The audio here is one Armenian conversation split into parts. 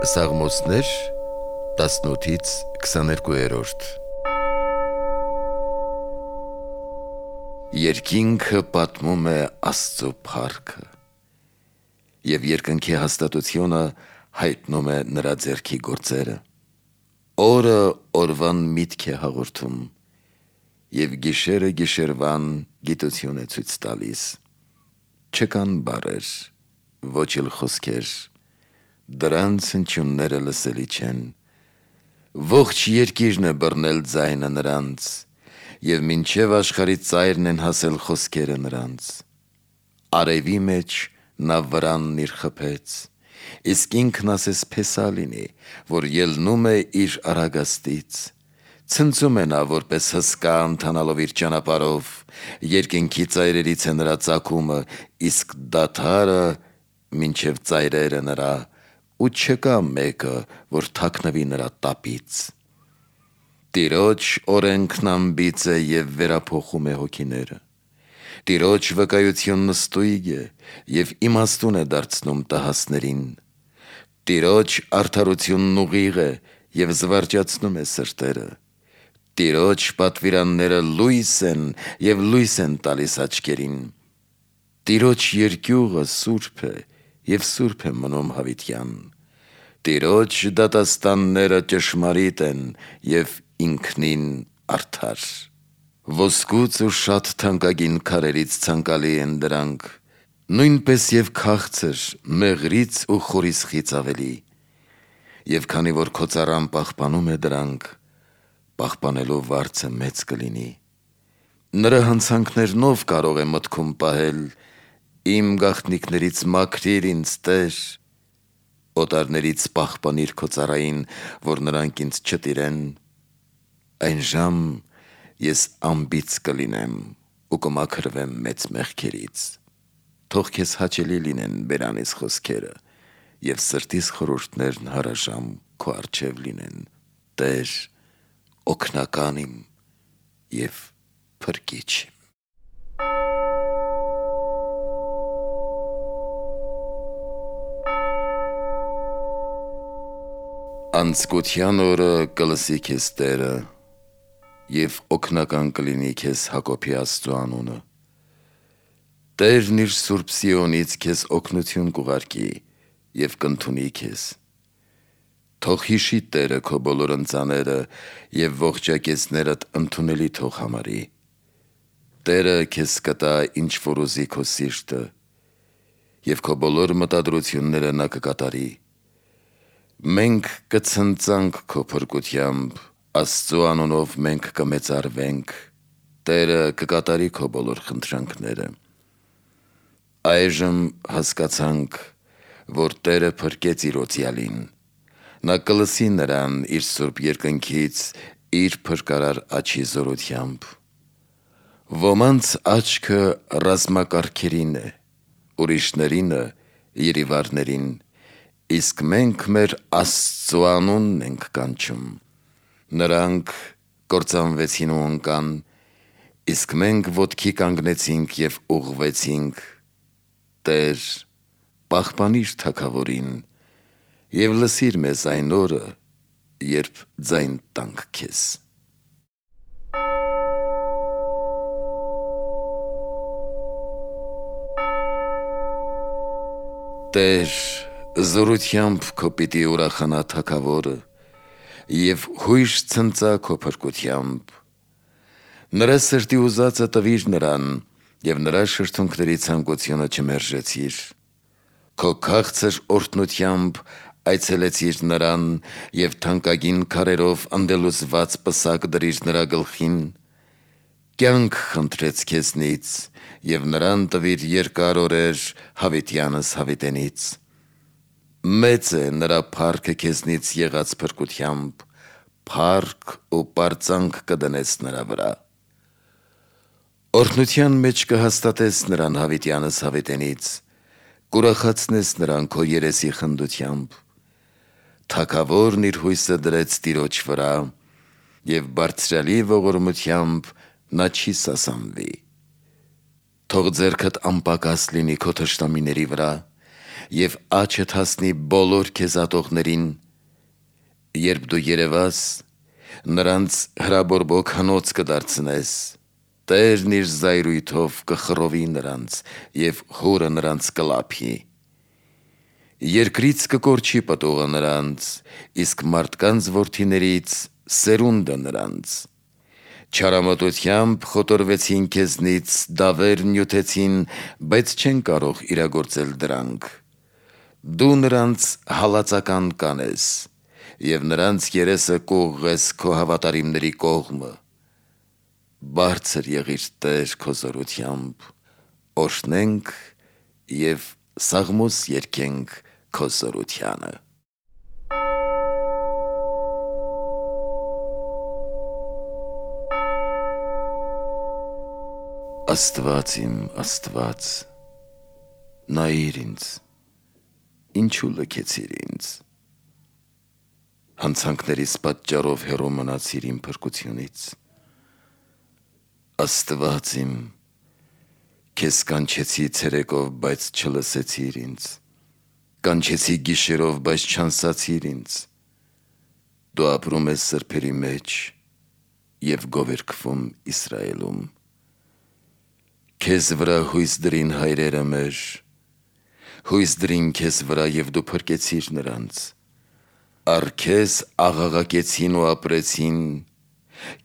Սաղմոսներ 18-ից 22-րդ Երկինքը պատմում է Աստծո փառքը և երկնքի հաստատությունը հայտնում է նրա ձեռքի գործերը։ Օրը օրվան միտք է հաղորդում և գիշերը գիշերվան գիտություն է ցույց տալիս։ Չկան բառեր, ոչ էլ խոսքեր, դրանց հնչյունները լսելի չեն։ Ողջ երկիրն է բռնել ձայնը նրանց, և մինչև աշխարհի ծայրն են հասել խոսքերը նրանց։ Արևի մեջ նա վրանն իր խփեց, իսկ ինքն ասես փեսա լինի, որ ելնում է իր արագաստից։ Ցնծում է նա որպես հսկա ընթանալով իր ճանապարհով, երկնքի ծայրերից է նրա ծագումը, իսկ դադարը մինչև ծայրերը նրա, ու չկա մեկը, որ թաքնվի նրա տապից։ Տիրոջ օրենքն անբիծ է և վերափոխում է հոգիները։ Տիրոջ վկայությունն ստույգ է և իմաստուն է դարձնում տհասներին։ Տիրոջ արդարությունն ուղիղ է և զվարճացնում է սրտերը։ Տիրոջ պատվիրանները լույս են և լույս են տալիս աչքերին։ Տիրոջ երկյուղը սուրբ է և սուրբ է մնում հավիտյան։ Տիրոջ դատաստանները ճշմարիտ են և ինքնին արդար։ Ոսկուց ու շատ թանկագին քարերից ցանկալի են դրանք, նույնպես և քաղցր, մեղրից ու խորիսխից ավելի։ Եվ քանի որ քո ծառան պահպանում է դրանք, պահպանելու վարձը մեծ կլինի։ Նրա հանցանքներնով կարող է մտքում պահել, իմ գաղտնիքներից մաքրիր ինձ, Տեր, օտարներից պահպանիր քո ծառային, որ նրանք ինձ չտիրեն։ Այն ժամ ես անբիծ կլինեմ ու կմաքրվեմ մեծ մեղքերից։ Թող քեզ հաճելի լինեն բերանիս խոսքերը և սրտիս խորհուրդներն հարաժամ քո առջև լինեն, Տեր, օգնական իմ և փրկիչ իմ։ Անձկության օրը կլսի քեզ Տերը, և օգնական կլինի քեզ Հակոբի Աստծու անունը։ Տերն իր սուրբ Սիոնից քեզ օգնություն կուղարկի և կընդունի քեզ։ Թող հիշի Տերը քո բոլոր ընծաները և ողջակեզներդ ընդունելի թող համարի։ Տերը քեզ կտա ինչ որ ուզի քո սիրտը, և քո բոլոր մտադրությունները նա կկատարի։ Մենք կցնծանք քո փրկությամբ, Աստծու անունով մենք կմեծարվենք, Տերը կկատարի քո բոլոր խնդրանքները։ Այժմ հասկացանք, որ Տերը փրկեց իր օծյալին։ Նա կլսի նրան իր սուրբ երկնքից իր փրկարար աջի զորությամբ։ Ոմանց աչքը ռազմակարգերին է, ուրիշներինը երիվարներին, իսկ մենք մեր Աստծու անունն ենք կանչում։ Նրանք կործանվեցին ու ընկան, իսկ մենք ոտքի կանգնեցինք և ուղղվեցինք։ Տեր, պահպանիր թագավորին և լսիր մեզ այն օրը, երբ ձայն տանք քեզ։ Տեր, զորությամբ քո պիտի ուրախանա թագավորը և հույժ ցնծա քո փրկությամբ։ Նրա սրտի ուզածը տվիր նրան և նրա շրթունքների ցանկությունը չմերժեցիր։ Քո քաղցր օրհնությամբ այցելեցիր նրան և թանկագին քարերով ընդելուզված պսակ դրիր նրա գլխին։ Կյանք խնդրեց քեզնից և նրան տվիր երկար օրեր հավիտյանս հավիտենից։ Մեծ է նրա փառքը քեզնից եղած փրկությամբ, փառք ու պարծանք կդնես նրա վրա։ Օրհնության մեջ կհաստատես նրան հավիտյանս հավիտենից, կուրախացնես նրան քո երեսի խնդությամբ։ Թագավորն իր հույսը դրեց Տիրոջ վրա, և բարձրյալի ողորմությամբ նա չի սասանվի։ Թող ձեռքդ անպակաս լինի քո թշնամիների վրա, և աչդ հասնի բոլոր քեզ ատողներին, երբ դու երևաս, նրանց հրաբորբոք հնոց կդարձնես, Տերն իր զայրույթով կխռովի նրանց և հորը նրանց կլափի, երկրից կկորչի պտուղը նրանց, իսկ մարդկանց որդիներից սերունդը նրանց, չարամտությամբ խոտորվեցին քեզնից, դավեր նյութեցին, բայց չեն կարող իրագործել դրանք, դու նրանց հալածական կանես և նրանց երեսը կուղղես քո հավատարիմների կողմը, բարձր եղիր Տեր քո զորությամբ, օրհնենք և սաղմոս երգենք քո զորությանը։ Աստված իմ Աստված, նայիր ինձ, ինչու լքեցիր ինձ, հանցանքներիս պատճառով հեռու մնացիր իմ փրկությունից, Աստված իմ, քեզ կանչեցի ցերեկով, բայց չլսեցիր ինձ, կանչեցի գիշերով, բայց չանսացիր ինձ, դու ապրում ես սրբերի մեջ և գովերգվում Իսրայելում, քեզ վրա հույս դրին հայրերը մեր, հույս դրին քեզ վրա և դու փրկեցիր նրանց, առ քեզ աղաղակեցին ու ապրեցին,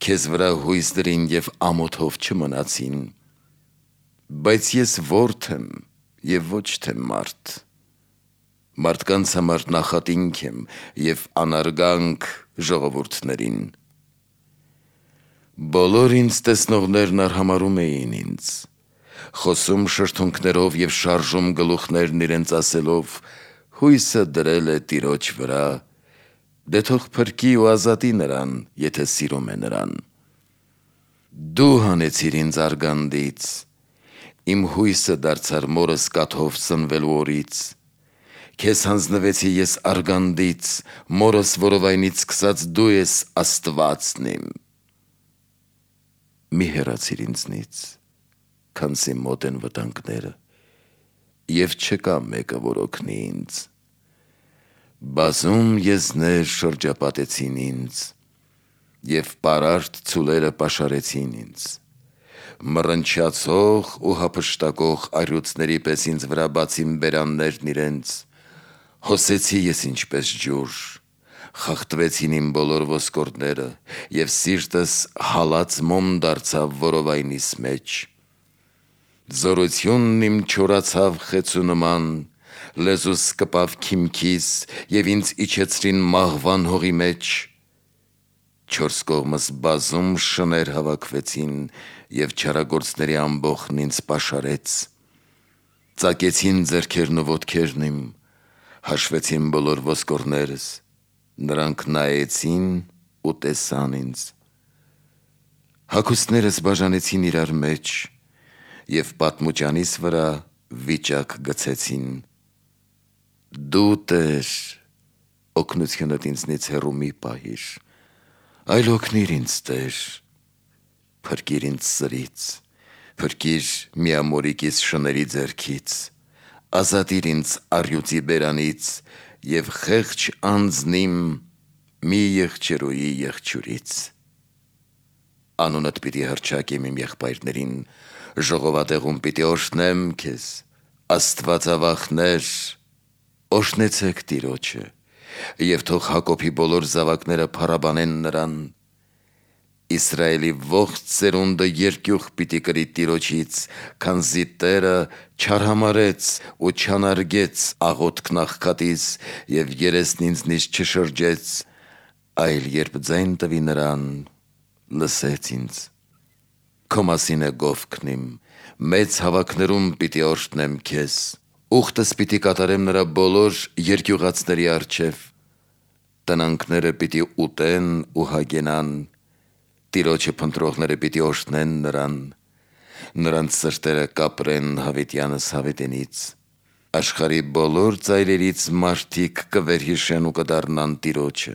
քեզ վրա հույս դրին և ամոթով չմնացին, բայց ես որդի եմ և ոչ թե մարդ, մարդկանց համար նախատինք եմ և անարգանք ժողովուրդներին, բոլոր ինձ տեսնողներն արհամարհում էին ինձ, խոսում շրթունքներով և շարժում գլուխներն իրենց ասելով, հույսը դրել է Տիրոջ վրա, դե թող փրկի ու ազատի նրան, եթե սիրում է նրան, դու հանեցիր ինձ արգանդից, իմ հույսը դարձար մորս կաթով սնվելու օրից, քեզ հանձնվեցի ես արգանդից, մորս որովայնից սկսած դու ես Աստվածն իմ, մի հեռացիր ինձնից, քանզի մոտ են վտանգները և չկա մեկը, որ օգնի ինձ, բազում եզներ շրջապատեցին ինձ և պարարտ ցուլերը պաշարեցին ինձ, մռնչացող ու հափշտակող առյուծների պես ինձ վրա բացին բերաններն իրենց, հոսեցի ես ինչպես ջուր, խախտվեցին իմ բոլոր ոսկորները և սիրտս հալած մոմ դարձավ որովայնիս մեջ, զորությունն իմ չորացավ խեցու նման, լեզուս կպավ քիմքիս և ինձ իջեցրին մահվան հողի մեջ, չորս կողմս բազում շներ հավաքվեցին և չարագործների ամբոխն ինձ պաշարեց, ծակեցին ձեռքերն ու ոտքերն իմ, հաշվեցին բոլոր ոսկորներս, նրանք նայեցին ու տեսան ինձ, հագուստներս բաժանեցին իրար մեջ և պատմուճանիս վրա վիճակ գցեցին, դու Տեր, օգնությունդ ինձնից հեռու մի պահիր, այլ օգնիր ինձ Տեր, փրկիր ինձ սրից, փրկիր միամորիկիս շների ձեռքից, ազատիր ինձ առյուծի բերանից և խեղճ անձն իմ մի եղջերուի եղջյուրից, անունդ պիտի հռչակեմ իմ եղբայրներին, ժողովատեղում պիտի օրհնեմ քեզ, Աստվածավախներ, օրհնեցեք Տիրոջը և թող Հակոբի բոլոր զավակները փառաբանեն նրան, Իսրայելի ողջ սերունդը երկյուղ պիտի կրի Տիրոջից, քանզի Տերը չարհամարհեց ու չանարգեց աղոթքն աղքատիս և երեսն ինձնից չշրջեց, այլ երբ ձայն տվի նրան, լսեց ինձ, քո մասին է գովքն իմ, մեծ հավաքներում պիտի օրհնեմ քեզ, ուխտս պիտի կատարեմ նրա բոլոր երկյուղածների առջև, տնանքները պիտի ուտեն ու հագենան, Տիրոջը փնտրողները պիտի օրհնեն նրան, նրանց սրտերը կապրեն հավիտյանս հավիտենից, աշխարհի բոլոր ծայրերից մարդիկ կվերհիշեն ու կդառնան Տիրոջը,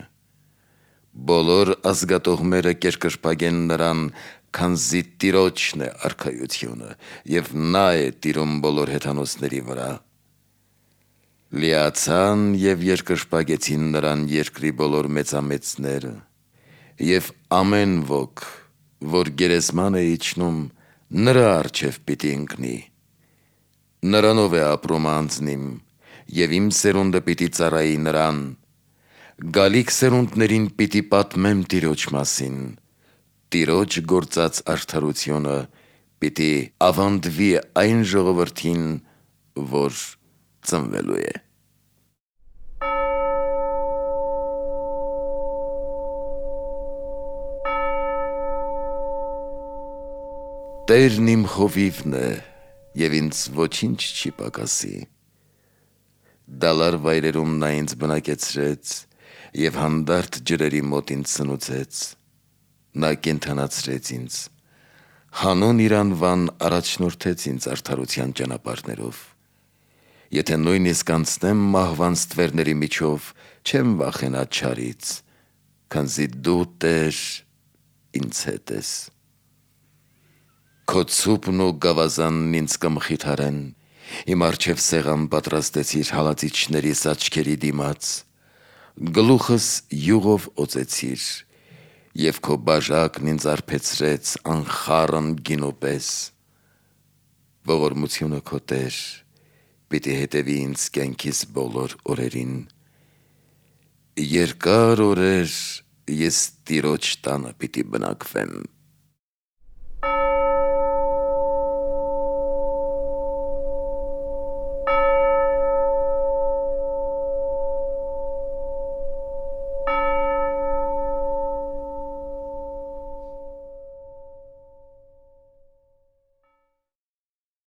բոլոր ազգատողմերը կերկրպագեն նրան, քանզի Տիրոջն է արքայությունը և նա է տիրում բոլոր հեթանոսների վրա, Լիացան եւ երկրպագեցին նրան երկրի բոլոր մեծամեծները, եւ ամեն ոք, որ գերեզման է իջնում, նրա առջև պիտի ընկնի։ Նրանով է ապրում անձնիմ, եւ իմ սերունդը պիտի ծառայի նրան, գալիք սերունդներին պիտի պատմեմ Տիրոջ մասին, Տիրոջ գործած արդարությունը պիտի ավանդվի այն ժողովրդին, որ ծնվելու է։ Տերն իմ խովիվն է, եւ ինձ ոչինչ չի պակասի։ Դալար վայրերում նա ինձ բնակեցրեց, եւ հանդարտ ջրերի մոտ ինձ սնուցեց։ Նա կենդանացրեց ինձ, հանուն իր անվան առաջնորդեց ինձ արդարության ճանապարհներով։ Եթե նույնիսկ անցնեմ մահվան ստվերների միջով, չեմ վախենա չարից, քանզի դու, Տեր, ինձ հետ ես։ Քո ցուպն ու գավազանն ինձ կմխիթարեն, իմ առջև սեղան պատրաստեցիր հալածիչներիս աչքերի դիմաց, գլուխս յուղով օծեցիր, եւ քո բաժակն ինձ արբեցրեց անխառն գինու պես։ Ողորմությունը քո, Տեր, պիտի հետևի ինձ կյանքիս բոլոր օրերին։ Երկար օրեր ես Տիրոջ տանը պիտի բնակվեմ։